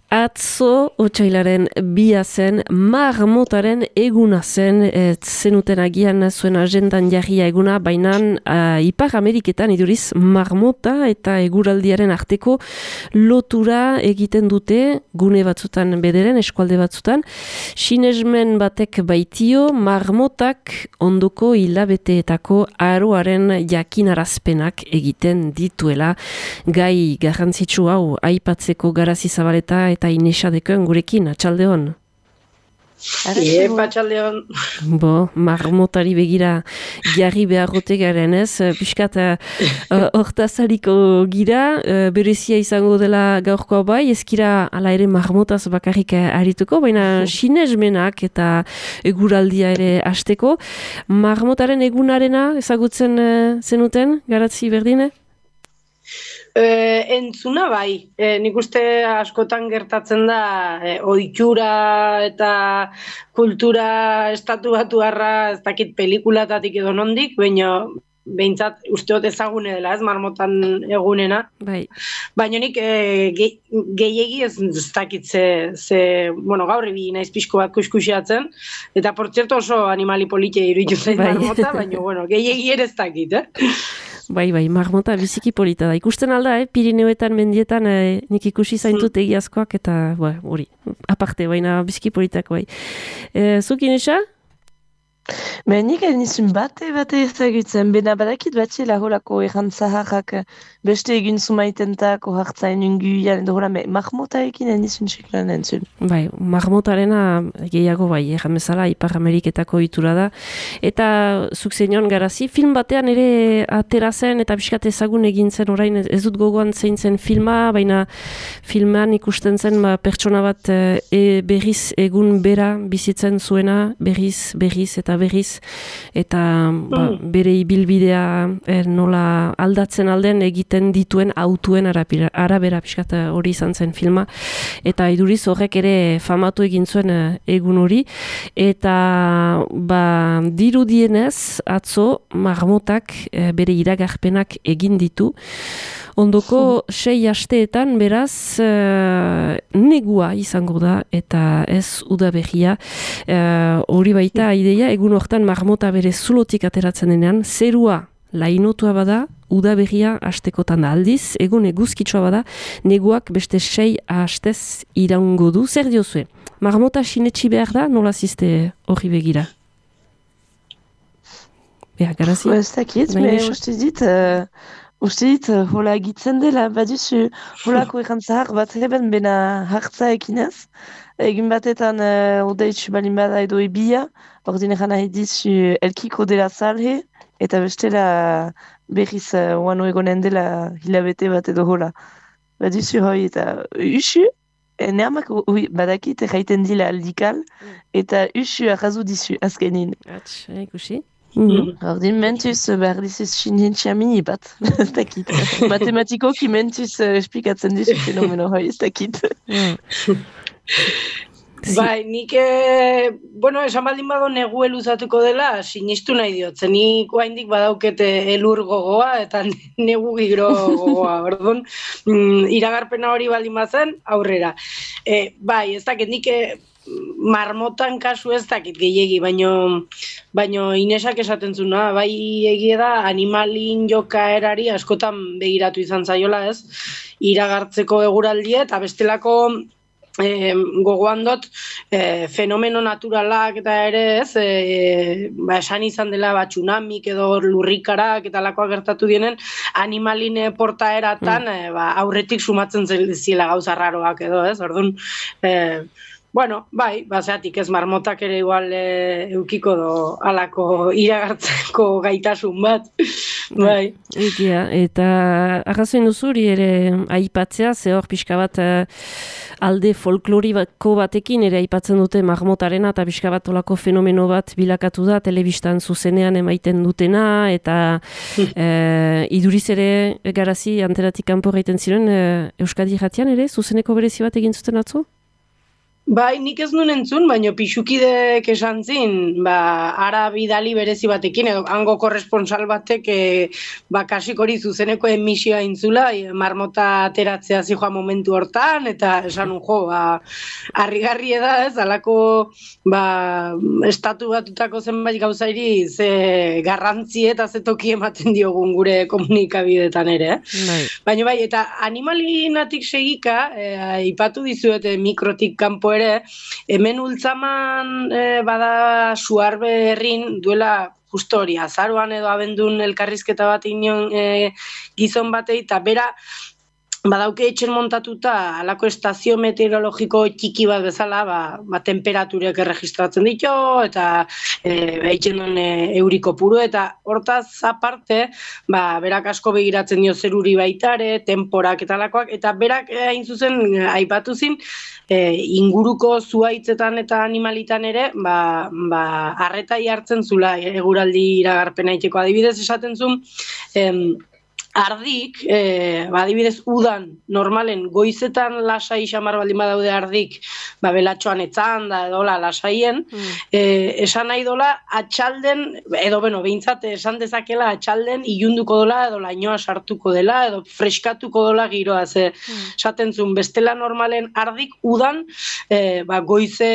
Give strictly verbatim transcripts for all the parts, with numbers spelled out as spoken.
Atzo, otsailaren bia zen, marmotaren eguna zen, et zenuten agian zuen agendan jarria eguna, baina uh, Ipar Ameriketan iduriz marmota eta eguraldiaren arteko lotura egiten dute, gune batzutan bederen, eskualde batzutan. Sinesmen batek baitio, marmotak ondoko hilabeteetako aroaren jakinarazpenak egiten dituela. Gai garrantzitsu hau, aipatzeko Garazi Zabaleta eta Inesa Dekoen gurekin, atxaldeon. Iepa, atxaldeon. Bo, marmotari begira jarri beharrote garen ez, piskat hortazariko uh, gira, uh, berezia izango dela gaurkoa bai, ezkira ala ere marmotaz bakarrik arituko, baina sinesmenak eta eguraldia ere hasteko. Marmotaren egunarena ezagutzen uh, zenuten, Garazi berdine? E, entzuna bai, e, nik uste askotan gertatzen da e, ohitura eta kultura estatu batuarra ez dakit pelikulatatik edo nondik, baina behintzat usteot ezagune dela ez marmotan egunena. Bai. Baina nik e, ge, gehiegi ez, ez dakit ze, ze, bueno, gaur ebi naiz pixko bat kuskusiatzen, eta por cierto oso animali politia iruditu zait bai. marmota, baina bueno, gehiegi ere ez dakit, eh? Bai, bai, marmota biziki polita da. Ikusten alda, eh? Pirineoetan, mendietan, eh, nik ikusi zaintut egiazkoak, eta, hori, aparte, baina biziki politak, bai. E, zuk, Inesa? Ben, nik nizun bate, bate ezagutzen, bena badakit batxela holako errantzaharrak beste egin zumaitentak, ohartzain unguian, edo hola, marmotarekin nizun txeklan entzun. Bai, marmotarena gehiago bai, erran bezala, Ipar Ameriketako itura da. Eta zuk zenion Garazi, film batean ere atera zen, eta pixkat ezagun egin zen orain, ez dut gogoan zein zen filma, baina filman ikusten zen ba, pertsona bat e, berriz egun bera bizitzen zuena, berriz, berriz eta berriz, eta ba, bere ibilbidea er, nola aldatzen alden egiten dituen autuen arabera, arabera pixkat hori izan zen filma, eta iduriz horrek ere famatu egin zuen egun hori, eta ba, dirudienez atzo marmotak e, bere iragarpenak egin ditu. Ondoko sei asteetan beraz uh, negua izango da eta ez udaberria. Uh, hori baita ideia, egun hortan marmota bere zulotik ateratzen denean, zerua lainotua bada, udaberria hastekotan da aldiz, egun eguzkitsua bada, neguak beste sei hastez iraungo du. Zer diozue? Marmota sinetxi behar da, nola ziste hori begira? Beha, Garazi? Ez dakit, me uste dit... Uh... Uste dit, hola egitzen dela, baduzu holako errantzahar bat heben bena hartza ekinez. Egin batetan uh, odeitzu balin bada edo ebia, ordin eran nahi dizu elkiko dela salhe, eta bestela berriz uh, oano egonen dela hilabete bat edo hola. Baduzu hoi eta usu, neamak badakit erraiten dila aldikal, eta usu arrazu dizu azkenin. Atx, ikusi? Mm-hmm. Ordin mentuz behar dizuz sinentxea mini bat, ez dakit. Matematikoki mentuz uh, esplikatzen dizu fenomeno hoi, ez dakit. Bai, nik, e, bueno, esan baldin bado negu eluzatuko dela, sinistu nahi diot. Nik oaindik badaukete elur gogoa eta negu giro gogoa, orduan, mm, iragarpena hori baldin bazen, aurrera. E, bai, ez dakit, nik... E, marmotan kasu ez dakit gehiegi, baino, baino Inesak esaten zuna, bai egie da animalin jokaerari askotan begiratu izan zaiola ez, iragartzeko eguraldia eta bestelako e, gogoan dut e, fenomeno naturalak eta ere ez, e, ba, esan izan dela ba, tsunamik edo lurrikarak eta lakoak gertatu dienen animalin portaeratan mm. e, ba, aurretik sumatzen ziela gauza raroak edo ez, orduan... E, Bueno, bai, baseatik ez marmotak ere igual e, eukiko do alako iragartzeko gaitasun bat, bai. Egia, eta arrazoin duzuri ere aipatzea, ze hor pixka bat e, alde folkloriko batekin ere aipatzen dute marmotarena, eta pixka bat olako fenomeno bat bilakatu da, telebistan zuzenean emaiten dutena, eta e, iduriz ere Garazi anteratik kanpo egiten ziren, e, Euskadi Irratian ere, zuzeneko berezi bat egin zuten atzo? Bai, nik ez nuen entzun, baina pixukidek esan zin, ba, ara bidali berezi batekin, edo hango korresponsal batek, e, ba, kasik hori zuzeneko emisioa intzula, e, marmota ateratzea zijoa momentu hortan, eta esan un jo, ba, harrigarri da ez, alako, ba, estatu batutako zenbait gauzairi, ze garrantzi eta ze toki ematen diogun gure komunikabidetan ere, eh? Bai. Baina bai, eta animalinatik segika, e, ipatu dizuete mikrotik kanpo ere, hemen ultzaman e, bada suarbe herrin duela justo hori, azaroan edo abendun elkarrizketa bat inon e, gizon batei, eta bera badauke etxen montatuta alako estazio meteorologiko txiki bat bezala, ba, ba temperaturek erregistratzen ditu, eta e, etxen duen e, euriko puru, eta hortaz aparte, ba, berak asko begiratzen dio zeruri baitare, temporak eta alakoak, eta berak e, hain zuzen aipatu zin, e, inguruko zuaitzetan eta animalitan ere, ba, ba, arretai hartzen zula eguraldi iragarpena iteko adibidez esaten zuen, em, ardik, e, ba, adibidez, udan, normalen, goizetan lasai xamar baldin badaude ardik, ba, belatxoan etzan da, edo la, lasaien, mm. e, esan nahi dola, atxalden, edo, beno, behintzat, esan dezakela, atxalden, ilunduko dola, edo lainoa sartuko dela, edo freskatuko dola giroa, ze, mm. esaten zuen, bestela normalen ardik, udan, e, ba, goize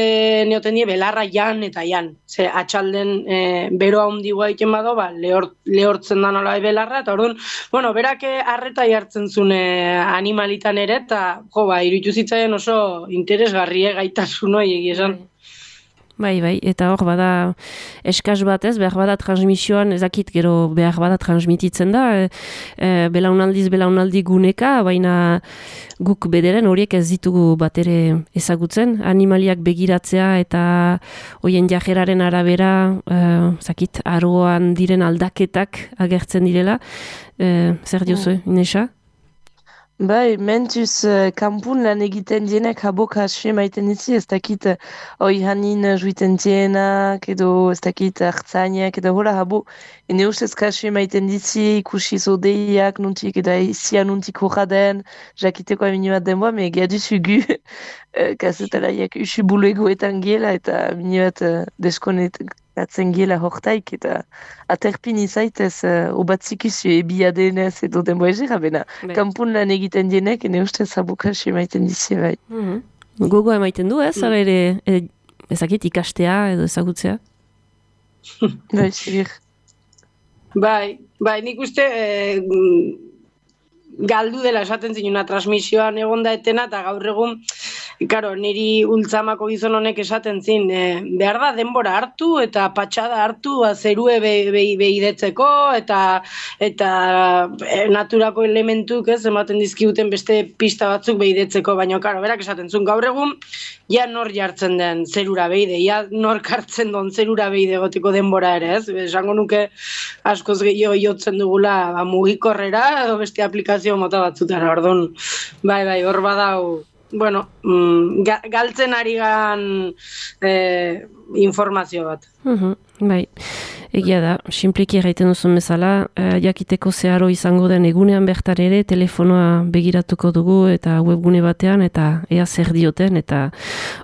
neoten die, belarra jan eta jan, ze, atxalden, e, beroa hundigoa iten bado, ba, lehort, lehortzen da nola belarra, eta orduan, bueno, berak arreta jartzen zune animalitan ere, eta jo, ba, iruditu zitzaien oso interesgarrie gaitasun hori egia esan. Bai, bai, eta hor bada eskaz bat ez, behar bada transmisioan, ezakit gero behar bada transmititzen da, e, e, belaunaldiz belaunaldi guneka, baina guk bederen horiek ez ditugu bat ere ezagutzen, animaliak begiratzea eta hoien jajeraren arabera, e, zakit, aroan diren aldaketak agertzen direla, e, zer diozu, mm. Inesa? Bai, mentuz uh, kanpun lan egiten dienek haboka asue maiten ditzi, ez dakit uh, oi hanin uh, juiten dienak, edo ez dakit hartzainak, edo hola habo, ene ustez kasue maiten ditzi, ikusi zodeiak, nuntik, eta izia nuntik horra den, jakiteko amini bat denboa, me gaduzu gu, uh, kasetalaiak usu bulegoetan gela, eta amini bat uh, deskonet, atzen gela hortaik, eta aterpin izaitez uh, obatzik izu ebia denez edo denboa ezera, bena kanpun lan egiten dienek, ene ustez abukasi emaiten dizi, bai. Mm-hmm. Gogoa emaiten du ez, mm. ere e, ezakit ikastea edo ezagutzea? Bai, segir. Bai, bai, nik uste e, galdu dela esaten zinuna transmisioan egonda etena, eta gaur egun Karo, niri ultzamako gizon honek esaten zin, e, behar da denbora hartu eta patxada hartu ba, zerue behidetzeko be, eta eta e, naturako elementuk ez ematen dizkiguten beste pista batzuk behidetzeko, baina karo, berak esaten zuen gaur egun, ja nor jartzen den zerura behide, ja nor kartzen don zerura behide gotiko denbora ere, ez? Esango nuke askoz gehiago jotzen dugula ba, mugikorrera edo beste aplikazio mota batzutara, orduan, bai, bai, hor badau, bueno, mm, ga, galtzen ari gan eh, informazio bat. Uh-huh, bai, egia da, simpliki erraiten duzun bezala, eh, jakiteko zeharo izango den egunean bertan ere, telefonoa begiratuko dugu eta webgune batean, eta ea zer dioten, eta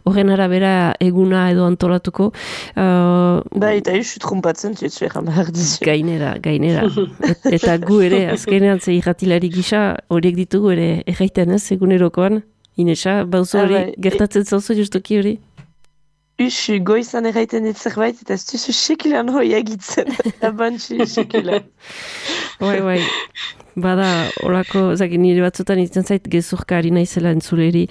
horren arabera eguna edo antolatuko. Uh, bai, eta isu trumpatzen zutzu egan behar dizu. Gainera, gainera. Et, eta gu ere, azkenean ze irratilari gisa, horiek ditugu ere erraiten ez, egunerokoan. Inesa, bauzu hori, ah, gertatzen zauzu justuki hori? Usu, goizan erraiten dit zerbait, eta ez duzu sekilan hoi egitzen. Abantxi, sekilan. Bai, bai. Bada, horako, zaki nire batzutan itzen zait, gezurka ari naizela entzuleri,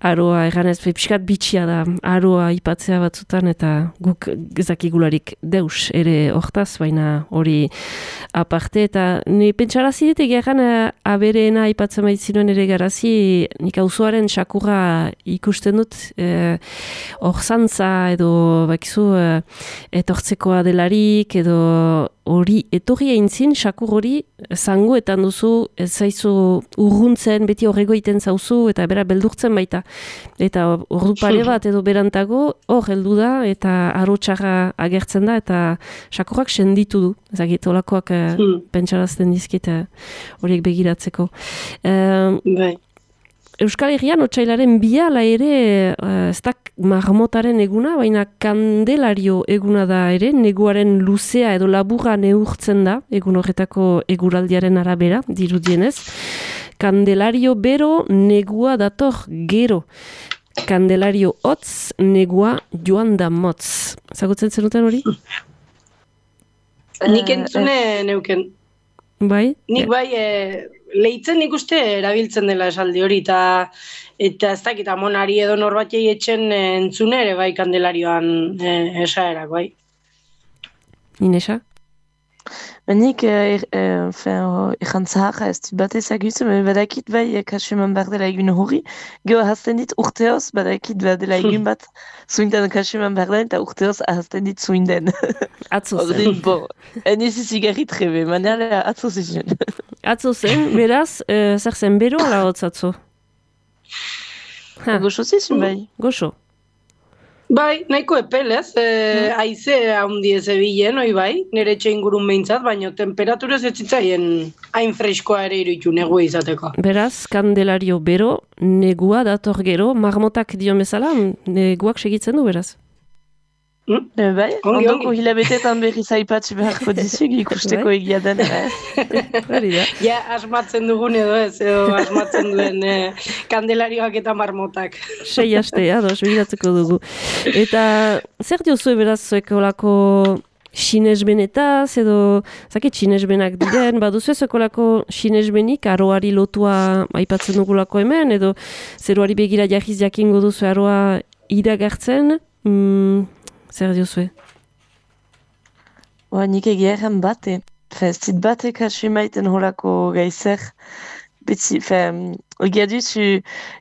aroa, erganez, pixkat bitxia da, aroa ipatzea batzutan, eta guk gezakigularik deus ere hortaz, baina hori aparte, eta nire pentsarazi dit egeran abereena ipatzen baitzinuen ere garazi, nik auzoaren sakurra ikusten dut, hor e, zantza edo, bakizu, e, etortzekoa delarik, edo hori, etorri eintzin, sakur hori, zangoetan duzu, ez zaizu urruntzen, beti horrego iten zauzu, eta bera beldurtzen baita. Eta ordu pare bat edo berantago, hor heldu da, eta arotxarra agertzen da, eta sakurrak senditu du. Ezagit, olakoak hmm. pentsarazten dizkit horiek begiratzeko. Um, bai. Euskal Herrian otsailaren biala ere, uh, ez da marmotaren eguna, baina Kandelario eguna da ere, neguaren luzea edo laburra neurtzen da, egun horretako eguraldiaren arabera, dirudienez. Kandelario bero, negua dator gero. Kandelario hotz, negua joan da motz. Zagutzen zenuten hori? Nik entzune neuken. Bai? Nik bai, e, lehitzen nik uste erabiltzen dela esaldi hori, eta eta ez dakit amonari edo norbatei etxen entzune ere bai Kandelarioan e, esaerak, bai. Inesa? Nik egan zaharra ez dut bat ezagutzen, badakit bai kasu eman behar dela egun hori, geho ahazten dit urteoz, badakit behar dela egun bat zuinten kasu eman behar den, eta urteoz ahazten dit zuinden. Atzo zen. Bon, eniz izigarri trebe, manera atzo zen. Atzo zen, beraz, e, zer zen bero ala hotz atzo? Goxo zizun bai. Goxo. Bai, nahiko epel, ez? E, haize haundi ez ebilen, oi bai, nire etxe ingurun behintzat, baina temperaturez ez zitzaien hain freskoa ere iruditu negua izateko. Beraz, Kandelario bero, negua dator gero, marmotak dio bezala, neguak segitzen du beraz. Hmm? E, bai, Ongi, ondoko ongi. hilabetetan berriz aipatxe beharko dizuek ikusteko Bai. egia den. Hori da. Ja, asmatzen dugun edo ez, edo asmatzen duen e, Kandelarioak eta marmotak. Sei aste, ados, begiratzeko dugu. Eta zer diozue beraz zuek olako sinesbenetaz edo, zakit, sinesbenak diren, baduzu ez olako sinesbenik aroari lotua aipatzen dugulako hemen, edo zeruari begira jahiz jakingo duzu aroa iragartzen, mm, zer diozue? Oa, nik egia erran bate. Fe, ez dit bate kasu emaiten holako gaizer. Betzi, fe, egia duzu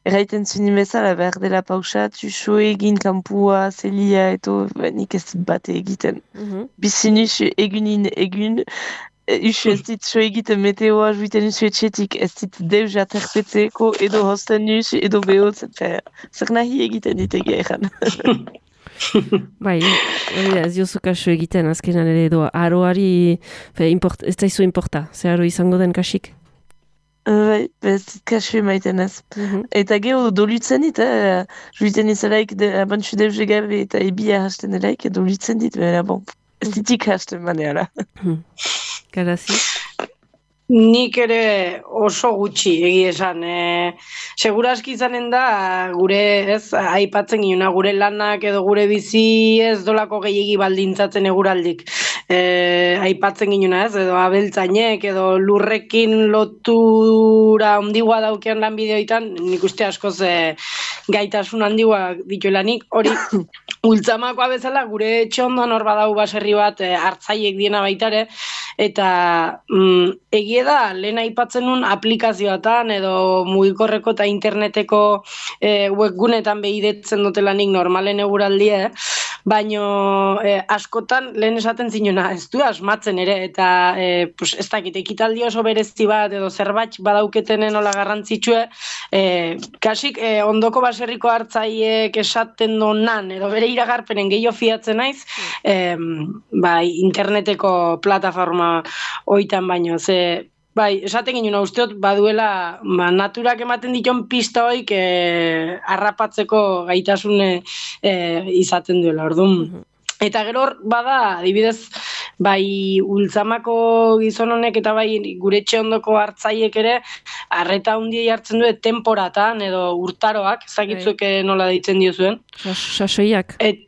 erraiten zuen bezala behar dela pausatu, so egin kampua, zelia, eto, fe, nik ez dit bate egiten. Mhm. Bizin usu egunin egun, usu ez dit so egiten meteoa juiten usu etxetik, ez dit deus aterpetzeko, edo hosten usu, edo behotzen, fe, zer nahi egiten dit egia erran. Bai, hori da, ez diozu kasu egiten azkenan ere edo aroari, fe, import, ez daizu importa, ze aro izango den kasik. Bai, ez dit kasu emaiten ez. Mhm. Eta geho dolutzen dit, eh? Juiten izalaik de, abantxu deuze gabe eta ebia hasten delaik, dolutzen dit, bera bon, ez ditik hasten maneara. Garazi? Nik ere oso gutxi egia esan. E, seguraski izanen da gure, ez, aipatzen ginen, gure lanak edo gure bizi ez dolako gehiegi baldintzatzen eguraldik. E, aipatzen ginen, ez, edo abeltzainek edo lurrekin lotura handigoa daukean lan bideoitan, nik uste askoz e, gaitasun handigoa dituelanik, hori ultzamakoa bezala gure etxe ondoan hor badau baserri bat e, hartzaiek diena baitare, eta mm, egia da, lehen aipatzen nun aplikazioetan edo mugikorreko eta interneteko e, webgunetan behidetzen dutelanik normalen eguraldia, baino e, askotan lehen esaten zinuna, ez du asmatzen ere, eta e, pues, ez dakit, ekitaldi oso berezi bat edo zerbait badauketenen ola garrantzitsue, e, kasik e, ondoko baserriko hartzaiek esaten donan, edo bere iragarpenen gehiago fiatzen naiz, e, bai, interneteko plataforma oitan baino, ze bai, esaten ginen, usteot baduela ba, naturak ematen diton pista hoik e, harrapatzeko gaitasune e, izaten duela, orduan. Eta gero hor, bada, adibidez, bai ultzamako gizon honek eta bai gure etxe ondoko hartzaiek ere, arreta handiei hartzen du temporatan edo urtaroak, ezagitzuek nola deitzen diozuen. Sasoiak. Et,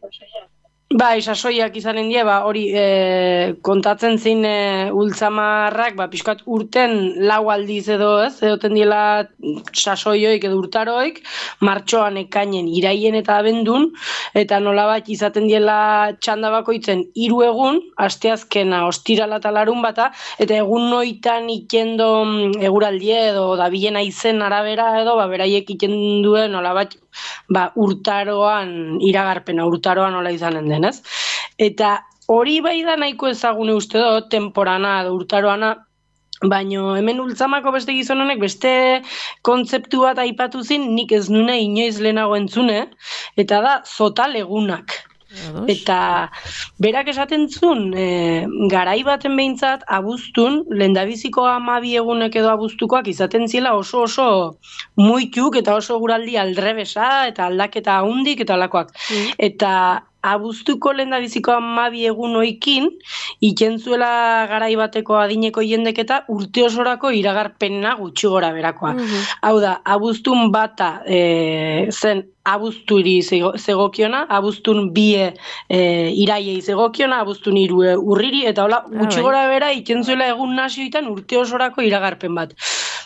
Bai, sasoiak izanen die, ba, hori e, kontatzen zin e, ultzamarrak, ba, pixkat urten lau aldiz edo ez, edoten diela sasoioik edo urtaroik, martxoan ekainen iraien eta abendun, eta nolabait izaten diela txanda bakoitzen hiru egun, asteazkena, ostirala eta larun bata, eta egun noitan ikendo eguraldie edo dabilena izen arabera edo, ba, beraiek ikenduen duen nolabait, ba, urtaroan, iragarpena, urtaroan nola izanen den, ez? Eta hori bai da nahiko ezagune uste do, temporana edo urtaroana, baino hemen ultzamako beste gizon honek beste kontzeptu bat aipatu zin, nik ez nune inoiz lehenago entzune, eta da zotal egunak. Ados. Eta berak esaten zuen, e, garai baten behintzat, abuztun, lehendabiziko hamabi egunek edo abuztukoak izaten ziela oso oso muituk eta oso guraldi aldrebesa eta aldaketa handik eta alakoak. Mm. Eta abuztuko lehendabiziko hamabi egun oikin, ikentzuela garai bateko adineko jendek eta urte osorako iragarpena gutxi gora berakoa. Mhm. Hau da, abuztun bata e, zen abuzturi zego- zegokiona, abuztun bie e, iraiei zegokiona, abuztun hiru e, urriri, eta hola, gutxi bai. gora bera ikentzuela egun nazioetan urte osorako iragarpen bat.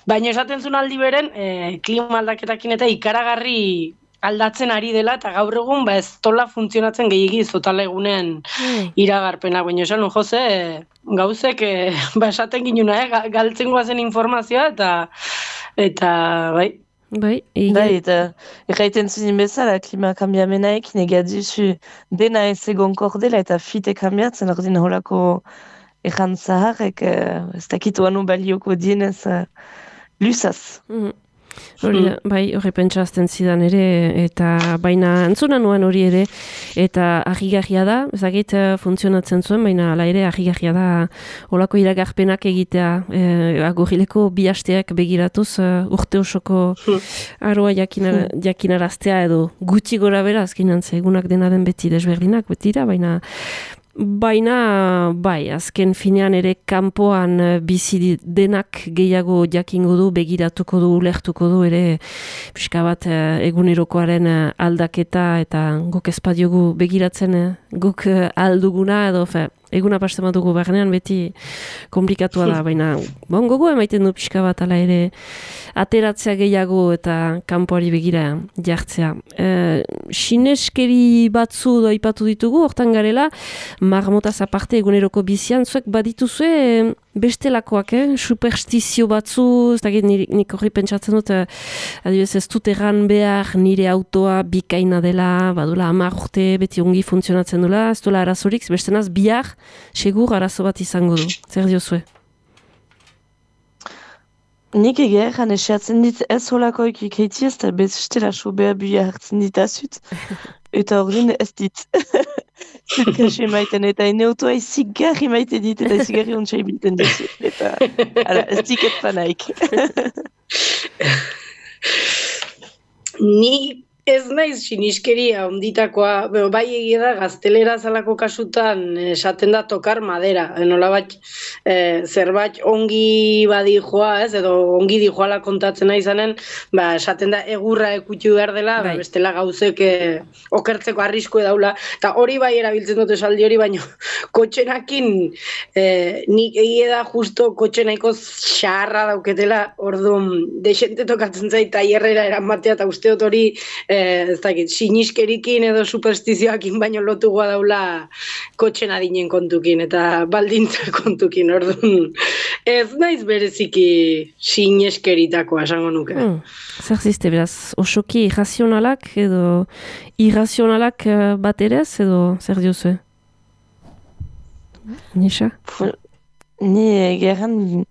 Baina esaten zuen aldi beren, e, klima aldaketakin eta ikaragarri aldatzen ari dela, eta gaur egun ba ez tola funtzionatzen gehiagi zotala egunen Mm. iragarpena. Baina esan nun, Jose, e, gauzek e, ba esaten ginuna, eh? ga- galtzen goazen informazioa, eta eta bai. Bai, ege- Bai, eta erraiten zuen bezala, klima kanbiamenaekin egadizu dena ez egonkor dela eta fite kanbiatzen, ordin holako erran zaharrek, eh, ez dakitu anu balioko dienez eh, lusaz. Mhm. Hori da, bai, hori pentsazten zidan ere, eta baina entzuna nuen hori ere, eta argigarria da, ezagit eh, funtzionatzen zuen, baina ala ere argigarria da olako iragarpenak egitea, e, agorileko bi hasteak begiratuz eh, urte osoko aroa jakinar, jakinaraztea edo gutxi gora bera, azkenan ze egunak dena den beti desberdinak, betira, baina Baina, bai, azken finean ere kanpoan eh, bizi di- denak gehiago jakingo du, begiratuko du, ulertuko du ere pixka bat eh, egunerokoaren eh, aldaketa eta guk ezpadiogu begiratzen eh, guk eh, alduguna edo fe, eguna pasten badugu barnean beti komplikatua da, baina bon, gogo emaiten du pixka bat ala ere ateratzea gehiago eta kanpoari begira jartzea. E, sineskeri batzu da aipatu ditugu, hortan garela, marmotaz aparte eguneroko bizian, zuek badituzue eh, bestelakoak, eh? Superstizio batzu, ez dakit nik, nik horri pentsatzen dut, eh, adibidez ez dut erran behar nire autoa bikaina dela, badula hamar urte beti ongi funtzionatzen dula, ez duela arazorik, bestenaz bihar segur arazo bat izango du. Zer diozue? Nik egia egan esiatzen dit ez holakoik ikeiti ez da bestela sobea bia hartzen ditazut. Eta ordin ez dit. Zut kaxe maiten eta ene autoa izigarri maite dit eta izigarri ontsa ibilten ditu. Eta ala, ez diket panaik. Ni ez naiz siniskeria onditakoa, beo, bai egia da gaztelera zalako kasutan esaten da tokar madera, nola bat e, zerbait ongi badi joa, ez, edo ongi di joala kontatzen nahi zanen, ba, esaten da egurra ekutxu behar dela, ba, Bai. bestela gauzek e, okertzeko arrisko daula, eta hori bai erabiltzen dut esaldi hori, baino kotxenakin e, nik egia da justo kotxe nahiko xarra dauketela, orduan desente tokatzen zait taierrera eramatea, eta uste dut hori Eh, ez dakit, siniskerikin edo superstizioakin baino lotugoa daula kotxen adinen kontukin eta baldintza kontukin, orduan ez naiz bereziki sineskeritakoa esango nuke. Hmm. Zer ziste, beraz, osoki irrazionalak edo irrazionalak eh, bat ere ez, edo zer diozue? Nisa? Ni egeran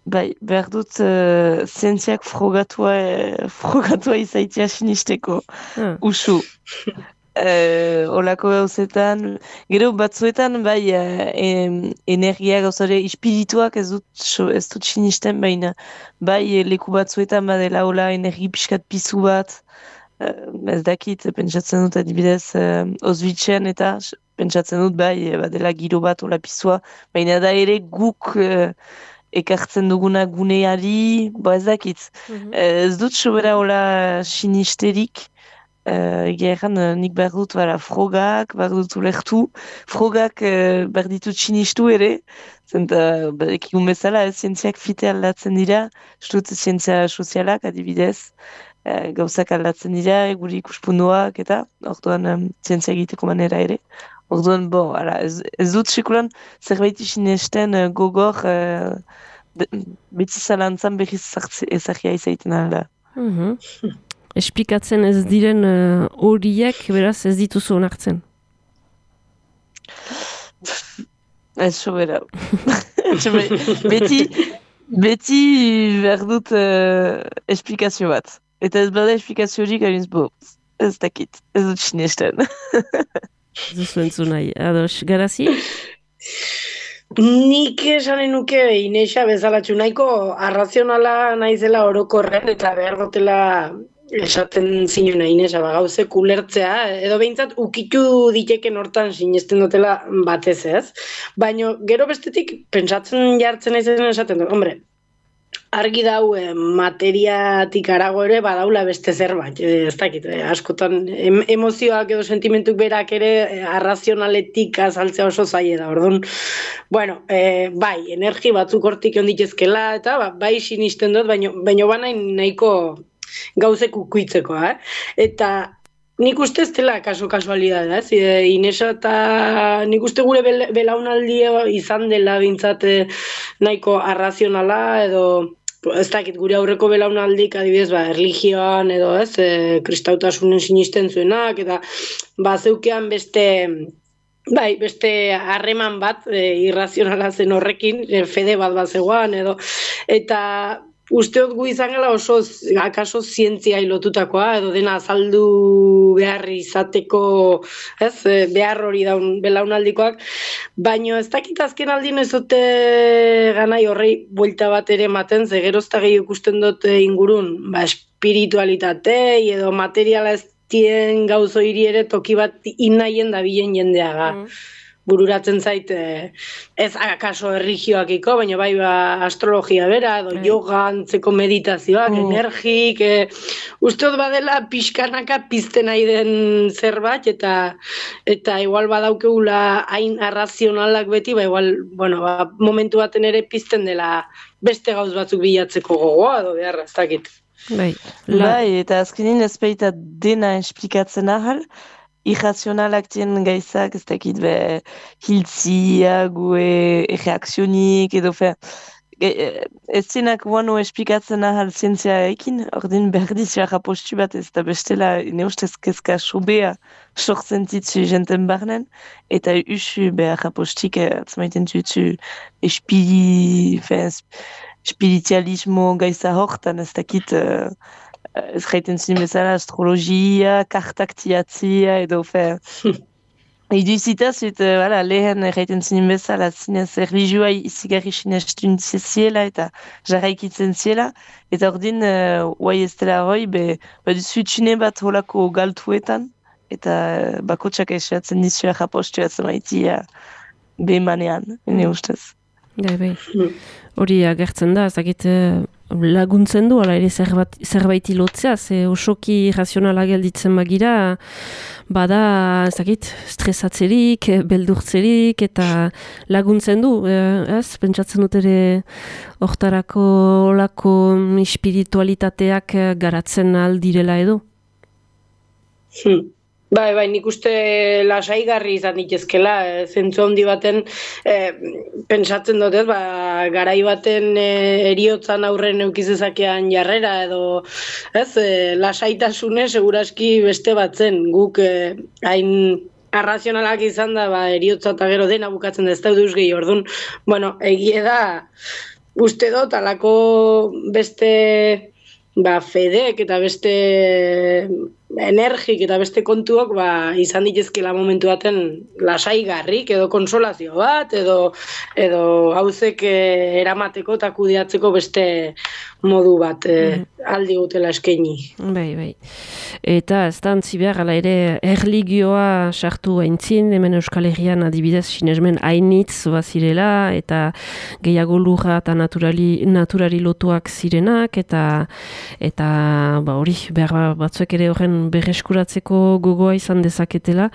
bai, behar dut uh, zientziak frogatua, eh, frogatua izaitia sinisteko. Ah. Usu. Eh, olako gauzetan, gero batzuetan bai eh, em, energia gauzare espirituak ez dut, so, ez dut sinisten baina bai eh, leku batzuetan badela hola energi pixkat pizu bat, eh, ez dakit, pentsatzen dut adibidez eh, Auschwitzen eta s- pentsatzen dut bai eh, badela giro bat hola pizua, baina da ere guk eh, ekartzen duguna guneari, bo ez dakit. Mhm. Eh, ez dut sobera hola sinisterik, Uh, egia erran, uh, nik behar dut bara, frogak, behar dut ulertu, frogak uh, behar ditut sinistu ere, zenta ba, ekigun bezala, eh, zientziak fite aldatzen dira, ez dut zientzia sozialak adibidez, uh, gauzak aldatzen dira, guri ikuspunduak eta, orduan um, zientzia egiteko manera ere. Orduan, bo, ara, ez, ez dut sekulan zerbait sinesten uh, gogor, uh, de, beti zalantzan berriz ezagia izaiten alda. Mhm. Esplikatzen ez diren eh, horiek, beraz ez dituzu onartzen. Ez sobera. beti, beti behar dut uh, esplikazio bat. Eta ez bada esplikazio horik, hainz bo, ez dakit, ez dut sinesten. Ez duzu entzun nahi. Ados, Garazi? Nik esanen nuke Inesa bezalatxu nahiko arrazionala naizela orokorren eta behar dutela esaten zinuna Inesa, ba, gauzek ulertzea, edo behintzat ukitu diteken hortan sinesten dutela batez ez. Baina gero bestetik pentsatzen jartzen naizen esaten dut, hombre, argi dau eh, materiatik arago ere badaula beste zerbait, eh, ez dakit, eh, askotan em, emozioak edo sentimentuk berak ere eh, arrazionaletik azaltzea oso zaila da, orduan, bueno, eh, bai, energi batzuk hortik onditezkela, eta ba, bai sinisten dut, baino, baino banain nahiko gauzek ukuitzeko, eh? Eta nik uste ez dela kaso kasualidadea, ez? E, Inesa eta nik uste gure bel, belaunaldia izan dela bintzat nahiko arrazionala edo ez dakit gure aurreko belaunaldik adibidez ba, erlijioan edo ez, e, kristautasunen sinisten zuenak eta ba, zeukean beste bai, beste harreman bat e, irrazionala zen horrekin, e, fede bat bat zegoan edo eta usteot gu izan gala oso, akaso zientzia lotutakoa, edo dena azaldu behar izateko, ez, behar hori daun belaunaldikoak, baino ez dakit azken aldin ez dute ganai horrei buelta bat ere ematen, ze gerozta gehi ikusten dute ingurun, ba, espiritualitatei edo materiala ez dien gauzo hiri ere toki bat inaien da bilen jendeaga. Mm. Bururatzen zait, ez akaso erligioakiko, baina bai ba, astrologia bera, edo mm. yoga, antzeko meditazioak, mm. energik, e, usteot badela pixkanaka pizten nahi den zerbait, eta eta igual badaukeula hain arrazionalak beti, ba igual, bueno, ba, momentu baten ere pizten dela beste gauz batzuk bilatzeko gogoa, edo beharra, ez dakit. Bai, la... bai, eta azkenin ez baita dena esplikatzen ahal, irrazionalak dien gaizak, ez dakit, be, hiltzia, gue, reakzionik, edo, fe, ez zenak guano esplikatzen ahal zientzia ekin, ordin berdiz jarra postu bat, ez da bestela, ne ustez kezka sobea sortzen ditzu jenten barnen, eta usu behar postik, atzmaiten dutzu, espili, fe, spiritualismo gaisa hortan, ez dakit, uh, ez gaiten zin bezala astrologia, kartak tiatzia, edo fe. Idu zitaz, uh, voilà, lehen gaiten zin bezala zinez erlijioa izigarri sinestun ziela eta jarraikitzen ziela, eta ordin, guai uh, ez dela hoi, be, ba duzu txune bat holako galtuetan, eta uh, bakotxak esatzen dizu errapostu atzamaitia behemanean, ene ustez. Gai, bai. Hori agertzen da, ez dakit laguntzen du, ala ere zerbait, zerbait ilotzea, ze osoki razionala gelditzen bagira, bada, ez dakit, stresatzerik, beldurtzerik, eta laguntzen du, ez? Pentsatzen dut ere hortarako olako espiritualitateak garatzen aldirela edo? Hmm. Bai, bai, nik uste lasaigarri izan ditezkela, e, zentzu handi baten e, pentsatzen dut, ez, ba, garai baten e, eriotzan aurren eukizezakean jarrera edo, ez, e, lasaitasune seguraski beste batzen, guk e, hain arrazionalak izan da, ba, eriotza eta gero dena bukatzen da ez da duz gehi, orduan, bueno, egie da, uste dut, alako beste, ba, fedek eta beste energik eta beste kontuak ba, izan ditezkela momentu baten lasaigarrik edo konsolazio bat edo edo gauzek eh, eramateko eta kudeatzeko beste modu bat eh, mm. aldi gutela eskaini. Bai, bai. Eta ez da antzi behar, ala ere erligioa sartu aintzin, hemen Euskal Herrian adibidez sinesmen hainitz bazirela eta gehiago lurra eta naturali, naturari lotuak zirenak eta eta ba, hori behar batzuek ere horren berreskuratzeko gogoa izan dezaketela.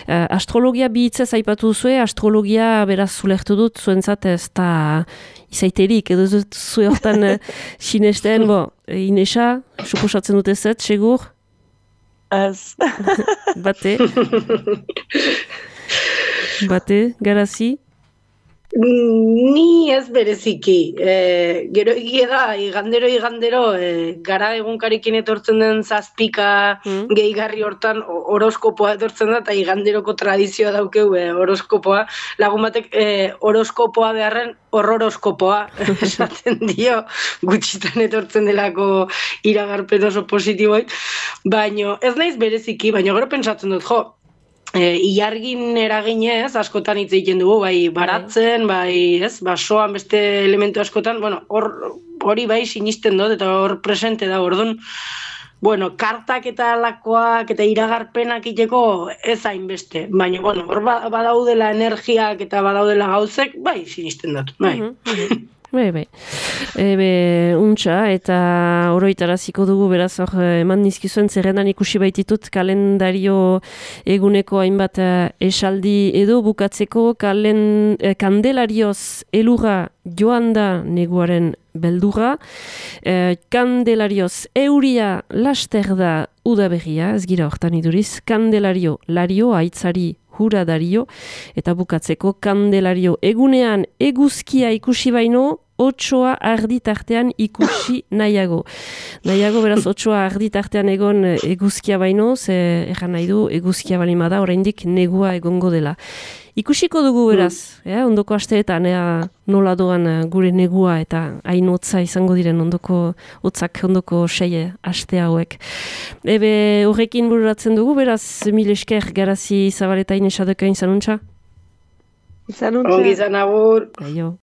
Uh, astrologia bi hitzez aipatu zuen, astrologia beraz zulertu dut, zuentzat ez da izaiterik, edo dut zuen hortan uh, sinesten, bo, Inesa, suposatzen dut ez, segur? Az. Bate? Bate, Garazi? Ni ez bereziki. E, gero egia da, igandero, igandero, e, gara egunkarikin etortzen den zazpika mm. gehigarri hortan horoskopoa etortzen da, eta iganderoko tradizioa daukeu e, horoskopoa. Lagun batek e, horoskopoa beharren horroroskopoa esaten dio, gutxitan etortzen delako iragarpen oso positiboik. Baina ez naiz bereziki, baina gero pentsatzen dut, jo, E, ilargin eraginez, askotan hitz egiten dugu, bai baratzen, bai, ez, basoan beste elementu askotan, bueno, hor hori bai sinisten dut, eta hor presente da, orduan, bueno, kartak eta alakoak eta iragarpenak iteko ez hainbeste, baina, bueno, hor badaudela energiak eta badaudela gauzek, bai sinisten dut, bai. Bai, bai. Ebe, untxa, eta oroitaraziko dugu, beraz, hor, eman nizkizuen zerrendan ikusi baititut kalendario eguneko hainbat esaldi edo bukatzeko kalen, eh, kandelarioz elurra joan da neguaren beldurra, eh, kandelarioz euria laster da udaberria, ez gira hortan iduriz, kandelario lario, aitzari hura dario, eta bukatzeko kandelario egunean eguzkia ikusi baino, otsoa arditartean ikusi nahiago. Nahiago, beraz, otsoa arditartean egon eguzkia baino, ze erran nahi du eguzkia balimada, oraindik negua egongo dela. Ikusiko dugu beraz, mm. eh, ondoko asteetan, ea nola doan gure negua eta hain hotza izango diren ondoko hotzak ondoko sei aste hauek. Ebe horrekin bururatzen dugu, beraz, mil esker Garazi Zabaletain esadekain zanuntza? Zanuntza. Ongi izan agur. Aio.